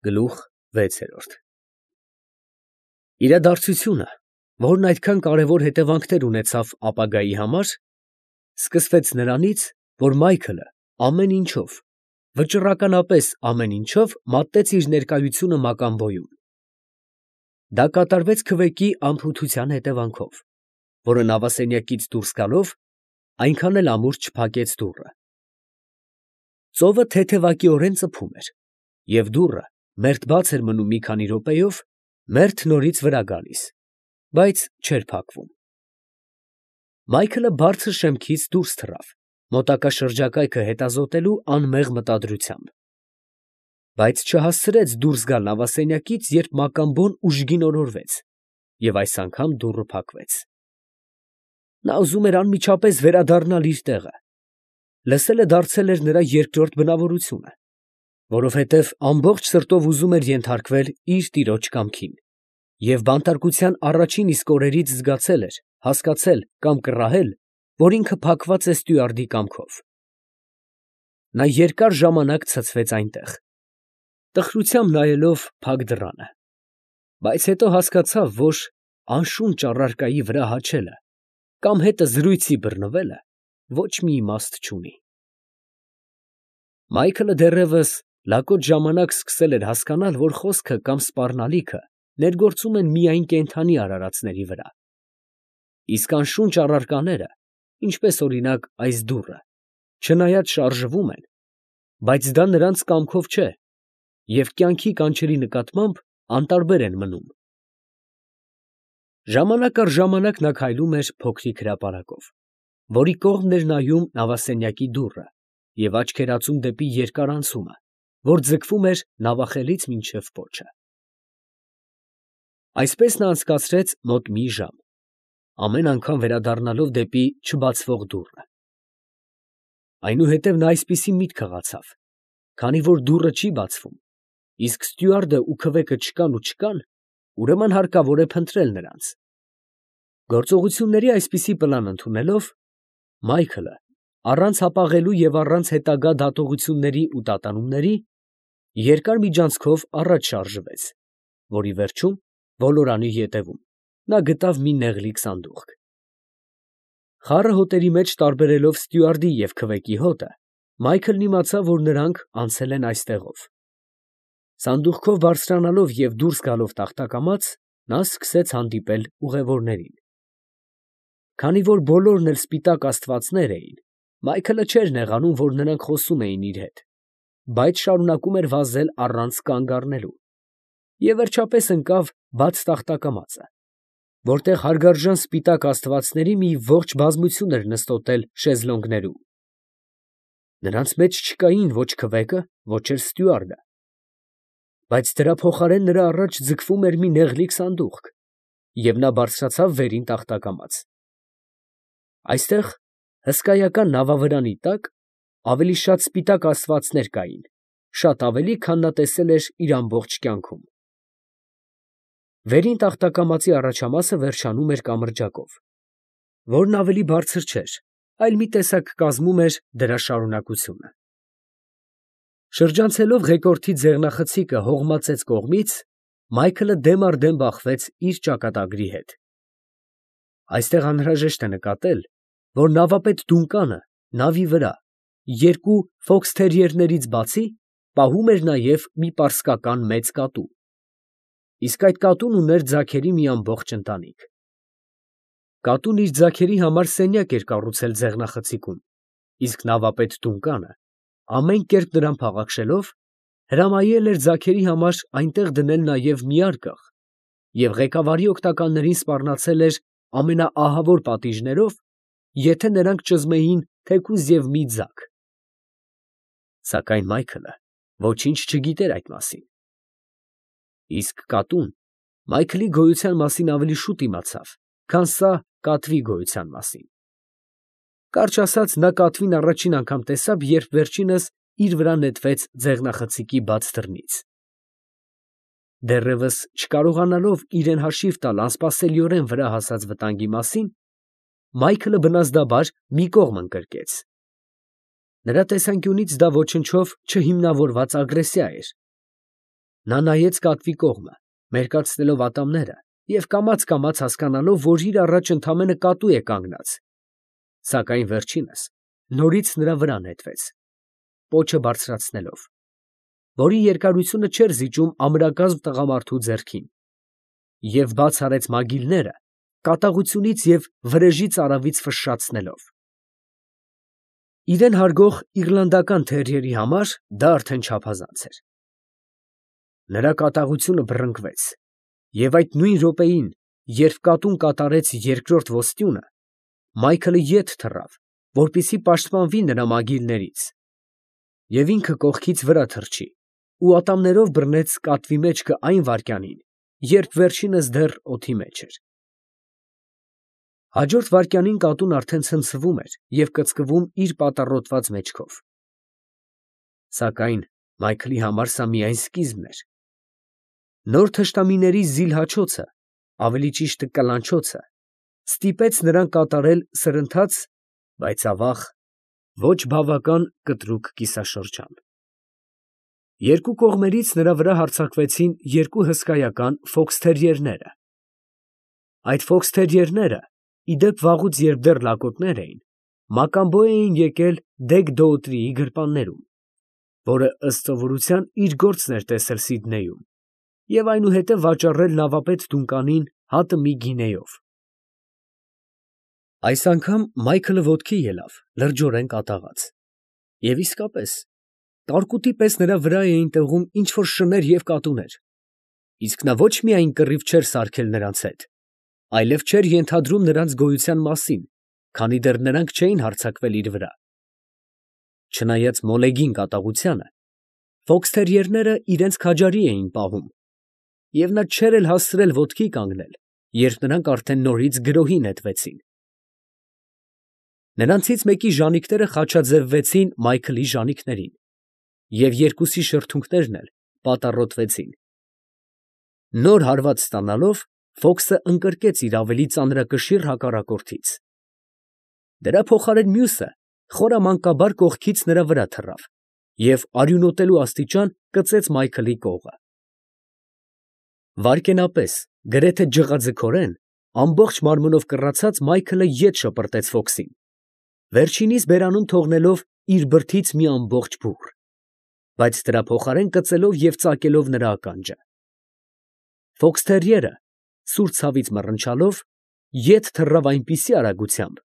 Գլուխ 6 Իրադարձությունը, որն այդքան կարևոր հետևանքներ ունեցավ ապագայի համար, սկսվեց նրանից, որ Մայքլը ամեն ինչով, վճռականապես ամեն ինչով մատտեց իր ներկայությունը Մակամբոյում։ Դա կատարվեց քվեկի անփութության հետևանքով, որը նավասենյակից դուրս գալով, այնքան էլ ամուր չփակեց դուռը։ Ծովը թեթևակիորեն ծփում էր, և դուռը մերթ բաց էր մնում մի քանի րոպեով, մերթ նորից վրա գալիս, բայց չէր փակվում։ Մայքլը բարձր շեմքից դուրս թռավ, մոտակա շրջակայքը հետազոտելու անմեղ մտադրությամբ, բայց չհասցրեց դուրս գալ նավասենյակից, երբ Մակամբոն ուժգին օրորվեց, և այս անգամ դուռը փակվեց։ Նա ուզում էր անմիջապես վերադառնալ իր տեղը. լսելը դարձել էր նրա երկրորդ բնավորությունը, որովհետև ամբողջ սրտով ուզում էր ենթարկվել իր տիրոջ կամքին, և բանտարկության առաջին իսկ օրերից զգացել էր, հասկացել կամ կռահել, որ ինքը փակված է ստյուարդի կամքով։ Նա երկար ժամանակ ցցվեց այնտեղ, տխրությամբ նայելով փակ դռանը, բայց հետո հասկացավ, որ անշունչ առարկայի վրա հաչելը կամ հետը զրույցի բռնվելը ոչ մի իմաստ չունի։ Մայքլը դեռևս լակոտ ժամանակ սկսել էր հասկանալ, որ խոսքը կամ սպառնալիքը ներգործում են միայն կենդանի արարածների վրա, իսկ անշունչ առարկաները, ինչպես օրինակ այս դուռը, չնայած շարժվում են, բայց դա նրանց կամքով չէ և կյանքի կանչերի նկատմամբ անտարբեր են մնում։ Ժամանակ առ ժամանակ նա քայլում էր փոքրիկ հրապարակով, որի կողմն էր նայում նավասենյակի դուռը և աչքերածում դեպի երկար անցումը, որ ձգվում էր նավախելից մինչև պոչը։ Այսպես նա անցկացրեց մոտ մի ժամ, ամեն անգամ վերադառնալով դեպի չբացվող դուռը։ Այնուհետև նա այսպիսի միտք հղացավ. քանի որ դուռը չի բացվում, իսկ ստյուարդը ու քվեկը չկան, ուրեմն հարկավոր է փնտրել նրանց։ Գործողությունների այսպիսի պլան ընդունելով, Մայքլը, առանց հապաղելու և առանց հետագա դատողությունների ու տատանումների, երկար միջանցքով առաջ շարժվեց, որի վերջում, ոլորանի ետևում, նա գտավ մի նեղլիկ սանդուղք։ Խառը հոտերի մեջ տարբերելով ստյուարդի և քվեկի հոտը, Մայքլն իմացավ, որ նրանք անցել են այստեղով։ Սանդուղքով բարձրանալով և դուրս գալով տախտակամաց, նա սկսեց հանդիպել ուղևորներին։ Քանի որ բոլորն էլ սպիտակ աստվածներ էին, Մայքլը չէր նեղանում, որ նրանք խոսում էին իր հետ, բայց շարունակում էր վազել առանց կանգ առնելու, և վերջապես ընկավ բաց տախտակամածը, որտեղ հարգարժան սպիտակ աստվածների մի ողջ բազմություն էր նստոտել շեզլոնգներում։ Նրանց մեջ չկային ոչ քվեկը, ոչ էլ ստյուարդը, բայց դրա փոխարեն նրա առաջ ձգվում էր մի նեղլիկ սանդուղք, և նա բարձրացավ վերին տախտակամաց։ Այստեղ, հսկայական նավավրանի տակ, ավելի շատ սպիտակ աստվածներ կային, շատ ավելի, քան նա տեսել էր իր ամբողջ կյանքում։ Վերին տախտակամածի առաջամասը վերջանում էր կամրջակով, որն ավելի բարձր չէր, այլ մի տեսակ կազմում էր դրա շարունակությունը։ Շրջանցելով ղեկորդի ձեղնախցիկը հողմածեց կողմից, Մայքլը դեմ առ դեմ բախվեց իր ճակատագրի հետ։ Այստեղ անհրաժեշտ է նկատել, որ նավապետ Դունկանը նավի վրա երկու ֆոքսթերիերներից բացի պահում էր նաև մի պարսկական մեծ կատու, իսկ այդ կատուն ուներ ձագերի մի ամբողջ ընտանիք։ Կատուն իր ձագերի համար սենյակ էր կառուցել ձեղնախցիկում, իսկ նավապետ Դունկանը, ամեն կերպ նրան փաղաքշելով, հրամայել էր ձագերի համար այնտեղ դնել նաև մի արկղ և ղեկավարի օգնականներին սպառնացել էր ամենաահավոր պատիժներով, եթե նրանք ճզմեին թեկուզ և մի ձագ։ Սակայն Մայքլը ոչինչ չգիտեր այդ մասին։ Իսկ կատուն Մայքլի գոյության մասին ավելի շուտ իմացավ, քան սա կատվի գոյության մասին։ Կարճ ասած, նա կատվին առաջին անգամ տեսավ, երբ վերջինս իր վրա նետվեց ձեղնախցիկի բաց դռնից։ Դեռևս չկարողանալով իրան հաշիվ տալ անսպասելիորեն վրա հասած վտանգի մասին, Մայքլը բնազդաբար մի կողմ ընկրկեց։ Նրա տեսանկյունից դա ոչնչով չհիմնավորված ագրեսիա էր, Նա նայեց կատվի կողմը, մերկացնելով ատամները և կամաց հասկանալով, որ իր առաջ ընդամենը կատու է կանգնած, սակայն վերջինս նորից նրա վրա նետվեց, պոչը բարձրացնելով, որի երկարությունը չէր զիջում ամրակազմ տղամարդու ձեռքին, և բաց արեց մագիլները, կատաղությունից և վրեժի ծարավից ֆշշացնելով։ Իրեն հարգող իռլանդական թերիերի համար դա արդեն չափազանց էր։ Նրա կատաղությունը բռնկվեց, և այդ նույն րոպեին, երբ կատուն կատարեց երկրորդ ոստյունը, Մայքլը ետ թռավ, որպեսզի պաշտպանվի նրա մագիլներից, և ինքը կողքից վրա թռչի ու ատամներով բռնեց կատվի մեջքը այն վայրկյանին, երբ վերջինս դեռ օդի մեջ էր։ Հաջորդ վայրկյանին կատուն արդեն ցնցվում էր և կծկվում իր պատառոտված մեջքով։ Սակայն Մայքլի համար սա միայն սկիզբն էր։ Նոր թշնամիների զիլհաչոցը, ավելի ճիշտ կլանչոցը, ստիպեց նրան կատարել սրընթաց, բայց ավաղ, ոչ բավական կտրուկ կիսաշրջան։ Երկու կողմերից նրա վրա հարձակվեցին երկու հսկայական ֆոքսթերիերները։ Այդ ֆոքսթերիերները, ի դեպ վաղուց, երբ դեռ լակոտներ էին, մակամբո էին եկել Դեգ Դոուտրիի գրպաններում, որը ըստ սովորության իր գործն էր տեսել Սիդնեյում, և այնուհետև վաճառել նավապետ Դունկանին հատը մի գինեով։ Այս անգամ Մայքլը ոտքի ելավ, լրջորեն կատաղած, և իսկապես, տարկուտի պես նրա վրա էին տեղում ինչ֊որ շներ և կատուներ, իսկ նա ոչ միայն կռիվ չէր սարքել նրանց հետ, այլև չէր ենթադրում նրանց գոյության մասին, քանի դեռ նրանք չէին հարձակվել իր վրա։ Չնայած մոլեգին կատաղությանը, ֆոքսթերիերները իրենց քաջարի էին պահում, և նա չէր էլ հասցրել ոտքի կանգնել, երբ նրանք արդեն նորից գրոհի նետվեցին։ Նրանցից մեկի ժանիքները խաչաձևվեցին Մայքլի ժանիքներին, և երկուսի շրթունքներն էլ պատառոտվեցին։ Նոր հարված ստանալով, Ֆոքսը ընկրկեց իր ավելի ծանրակշիռ հակառակորդից։ Դրա փոխարեն մյուսը խորամանկաբար կողքից նրա վրա թռավ և արյունոտելու աստիճան կծեց Մայքլի կողը։ Վայրկենապես, գրեթե ջղաձգորեն, ամբողջ մարմնով կռացած Մայքլը ետ շպրտեց Ֆոքսին, վերջինիս բերանում թողնելով իր բրդից մի ամբողջ բուռ, բայց դրա փոխարեն կծելով և ծակելով նրա ականջը։ Ֆոքսթերիերը, սուր ցավից մռնչալով, ետ թռավ այնպիսի արագությամբ,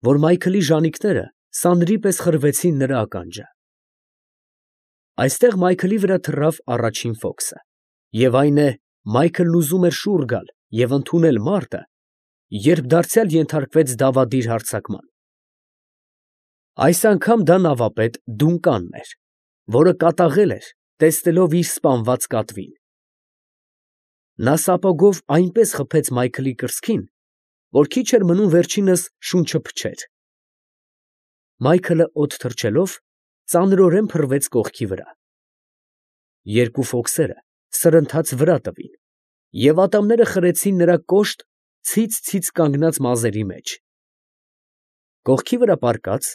որ Մայքլի ժանիքները սանրի պես խրվեցին նրա ականջը։ Այստեղ Մայքլի վրա թռավ առաջին Ֆոքսը, և այն է, Մայքլն ուզում էր շուռ գալ և ընդունել մարտը, երբ դարձյալ ենթարկվեց դավադիր հարձակման։ Այս անգամ դա նավապետ Դունկանն էր, որը կատաղել էր, տեսնելով իր սպանված կատվին։ Նա սապոգով այնպես խփեց Մայքլի կրծքին, որ քիչ էր մնում վերջինս շունչը փչեր։ Մայքլը օդ թռչելով, ծանրորեն փռվեց կողքի վրա։ Երկու ֆոքսերը սրընթաց վրա տվին, և ատամները խրեցին նրա կոշտ, ցից կանգնած մազերի մեջ։ Կողքի վրա պառկած,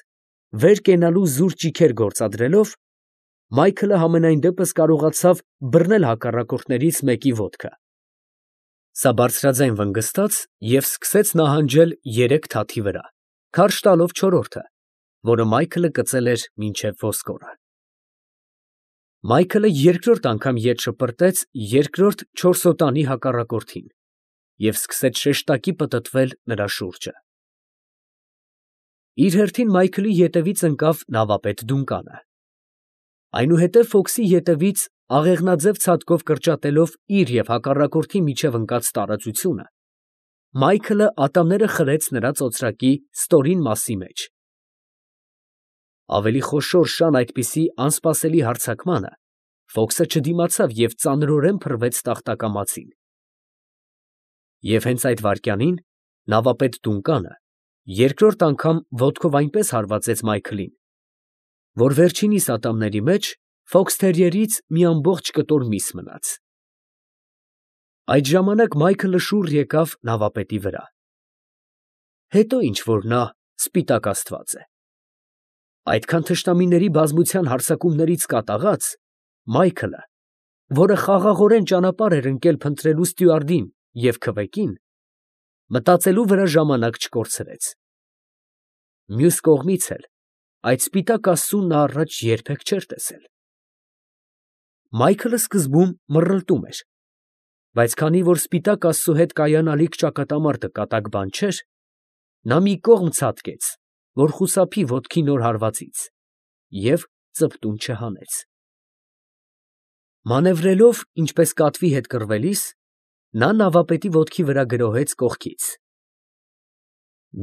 վեր կենալու զուր ճիգեր գործադրելով, Մայքլը համենայն դեպս կարողացավ բռնել հակառակորդներից մեկի ոտքը։ Սա բարձրաձայն վնգստաց և սկսեց նահանջել երեք թաթի վրա, քարշ տալով չորրորդը, որը Մայքլը կծել էր մինչև ոսկորը։ Մայքլը երկրորդ անգամ ետ շպրտեց երկրորդ չորսոտանի հակառակորդին և սկսեց շեշտակի պտտվել նրա շուրջը։ Իր հերթին Մայքլի ետևից ընկավ նավապետ Դունկանը։ Այնուհետև Ֆոքսի ետևից աղեղնաձև ցատկով կրճատելով իր և հակառակորդի միջև ընկած տարածությունը, Մայքլը ատամները խրեց նրա ծոծրակի ստորին մասի մեջ։ Ավելի խոշոր շան այդպիսի անսպասելի հարձակմանը Ֆոքսը չդիմացավ և ծանրորեն փռվեց տախտակամածին։ Եվ հենց այդ վայրկյանին նավապետ Դունկանը երկրորդ անգամ ոտքով այնպես հարվածեց Մայքլին, որ վերջինիս ատամների մեջ ֆոքսթերիերից մի ամբողջ կտոր միս մնաց։ Այդ ժամանակ Մայքլը շուռ եկավ նավապետի վրա։ Հետո ինչ որ նա սպիտակ աստված է։ Այդքան թշնամիների բազմության հարձակումներից կատաղած, Մայքլը որը խաղաղորեն ճանապարհ էր ընկել փնտրելու ստյուարդին և քվեկին, մտածելու վրա ժամանակ չկորցրեց։ Մյուս կողմից էլ այդ սպիտակ աստծուն նա առաջ երբեք չէր տեսել։ Մայքլը սկզբում մռռլտում էր, բայց քանի որ սպիտակ աստծու հետ կայանալիք ճակատամարտը կատակ բան չէր, նա մի կողմ ցատկեց, որ խուսափի ոտքի նոր հարվածից, և ծպտուն չհանեց։ Մանևրելով, ինչպես կատվի հետ կռվելիս, նա նավապետի ոտքի վրա գրոհեց կողքից։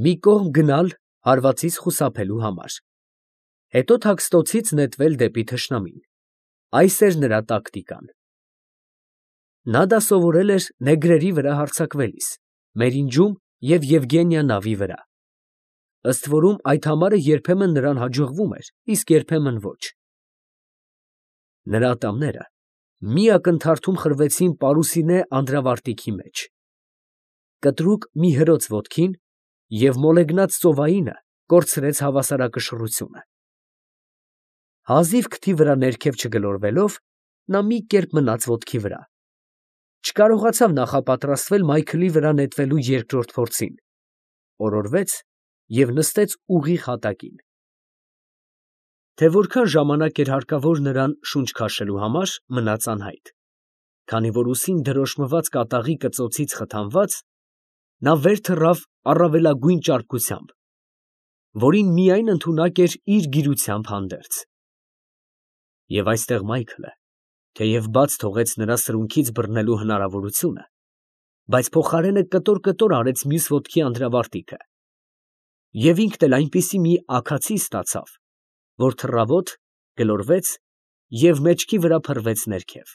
Մի կողմ գնալ հարվածից խուսափելու համար, հետո թաքստոցից նետվել դեպի թշնամին, այս էր նրա տակտիկան։ Նա դա սովորել էր նեգրերի վրա հարձակվելիս, Մերինջում և Եվգենիա նավի վրա, ըստ որում այդ համարը երբեմն նրան հաջողվում էր, իսկ երբեմն ոչ։ Նրա ատամները մի ակնթարթում խրվեցին պարուսինե անդրավարտիքի մեջ, կտրուկ մի հրոց ոտքին և մոլեգնած ծովայինը կորցրեց հավասարակշռությունը։ Հազիվ քթի վրա ներքև չգլորվելով, նա մի կերպ մնաց ոտքի վրա, չկարողացավ նախապատրաստվել Մայքլի վրա նետվելու երկրորդ փորձին, օրորվեց և նստեց ուղիղ հատակին։ Թե որքան ժամանակ էր հարկավոր նրան շունչ քաշելու համար, մնաց անհայտ, քանի որ ուսին դրոշմված կատաղի կծոցից խթանված, նա վեր թռավ առավելագույն ճարպկությամբ, որին միայն ընդունակ էր իր գիրությամբ հանդերձ։ Եվ այստեղ Մայքլը, թեև բաց թողեց նրա սրունքից բռնելու հնարավորությունը, բայց փոխարենը կտոր արեց մյուս ոտքի անդրավարտիքը, և ինքն էլ այնպիսի մի աքացի ստացավ, որ թռավոտ գլորվեց և մեջքի վրա փռվեց ներքև։